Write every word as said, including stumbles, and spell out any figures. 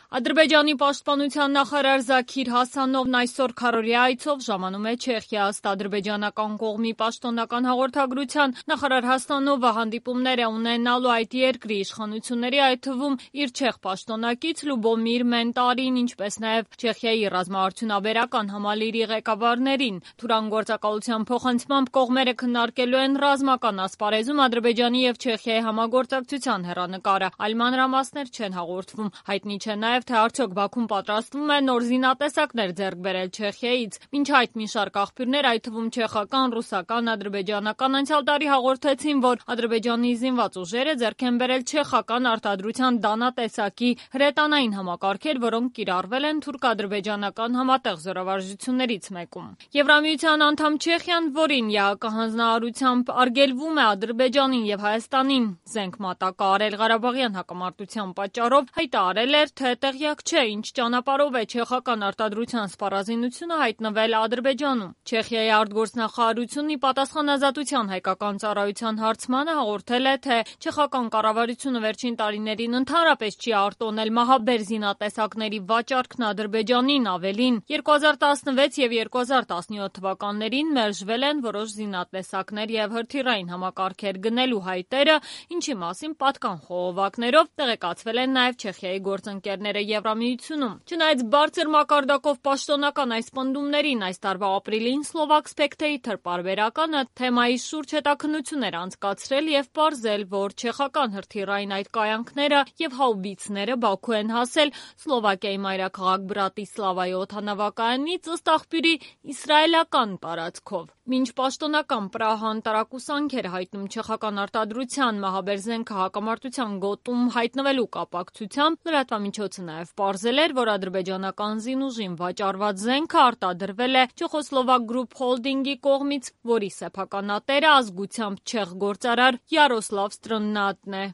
Ադրբեջանի պաշտպանության նախարար Զաքիր Հասանովն այսօր քառօրյա այցով ժամանում է Չեխիա։ Ըստ ադրբեջանական կողմի պաշտոնական հաղորդագրության, նախարար Հասանովը հանդիպումներ է ունենալու այդ երկրի իշխանությունների, այդ թվում իր չեխ պաշտոնակից Լյուբոմիր Մենտարին, ինչպես նաև Չեխիայի ռազմաարդյունաբերական համալիրի ղեկավարներին։ Թուրան գործակալության փոխանցմամբ կողմերը քննարկելու են ռազմական ասպարեզում Ադրբեջանի եւ Չեխիայի համագործակցության հեռանկարը։ Այլ մանրամասներ չեն հաղորդվում։ Հայտնի չէ նաև թե արդյոք Բաքուն պատրաստվում է նոր զինատեսակներ ձեռք բերել Չեխիայից։ Մինչ այդ մի շարք աղբյուրներ, այդ թվում չեխական, ռուսական, ադրբեջանական, անցյալ տարի հաղորդեցին, որ Ադրբեջանի զինված ուժերը ձեռք են բերել չեխական արտադրության դանատեսակի հրետանային համակարգեր, որոնք կիրառվել են թուրք-ադրբեջանական համատեղ զորավարժություններից մեկում։ Եվրամիության անդամ Չեխիան, որին ԵԱԿ հանձնարարությամբ արգելվում է Ադրբեջանին եւ Հայաստանին զենք մատակարարել Ղարաբաղյան հակամարտության պատճառով, հայտարարել էր, թե տեղյակ չէ, ինչ ճանապարհով է չեխական արտադրության սպառազինությունը հայտնվել Ադրբեջանում։ Չեխիայի արտգործնախարարությունն ի պատասխան Ազատության հայկական ծառայության հարցմանը հաղորդել է, թե չեխական կառավարությունը վերջին տարիներին ընդհանրապես չի արտոնել մահաբեր զինատեսակների վաճառքն Ադրբեջանին, ավելին, երկու հազար տասնվեց եւ երկու հազար տասնյոթ թվականներին մերժվել են որոշ զինատեսակներ եւ հրթիռային համակարգեր գնելու հայտերը, ինչի մասին պատկան խողովակներով տեղեկացվել են նաեւ Չեխիայի գործընկերները Եվրամիությունում։ Չնայած բարձր մակարդակով պաշտոնական այս պնդումներին, այս տարվա ապրիլին Slovak Spectator պարբերականը թեմայի շուրջ հետաքննություն էր անցկացրել եւ պարզել, որ չեխական հրթիռային այդ կայանքները եւ հաուբիցները Բաքու են հասել Սլովակիայի մայրաքաղաք Բրատիսլավայի օդանավակայանից, ըստ աղբյուրի, իսրայելական տարածքով։ Մինչ պաշտոնական Պրահան տարակուսանք էր հայտնում չեխական արտադրության մահաբեր զենքը հակամարտության գոտում հայտնվելու կապակցությամբ, լրատվամիջոցը նաև պարզել էր, որ ադրբեջանական զինուժին վաճառված զենքը արտադրվել է Չեխոսլովակ Group Holding-ի կողմից, որի սեփականատերը ազգությամբ չեխ գործարար Յարոսլավ Ստրննատն է։